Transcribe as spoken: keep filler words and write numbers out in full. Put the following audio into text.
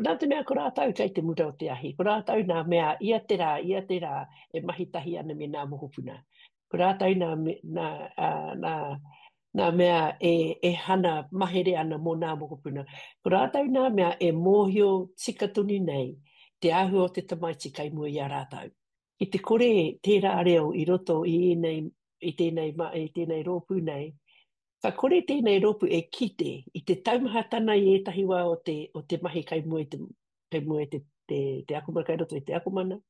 nā te mea ko rātou kei te mura o te ahi, ko rātou nā mea ia te rā, ia te rā e mahi tahi ana me nā mokopuna. Ko rātou nā, nā, nā, nā mea e, e hana mahere ana mō nā mokopuna. Ko rātou nā mea e mōhio tika tonu nei te āhua o te tamaiti kei mua i a rātou. Ki te kore tērā reo i roto i ēnei, i tēnei, i tēnei rōpū nei, ka kore tēnei rōpū e kite i te taumahatana i ētahi wā o te, o te mahi kei mua i te, kei mua i te, te, te akomana, kei roto i te akomana,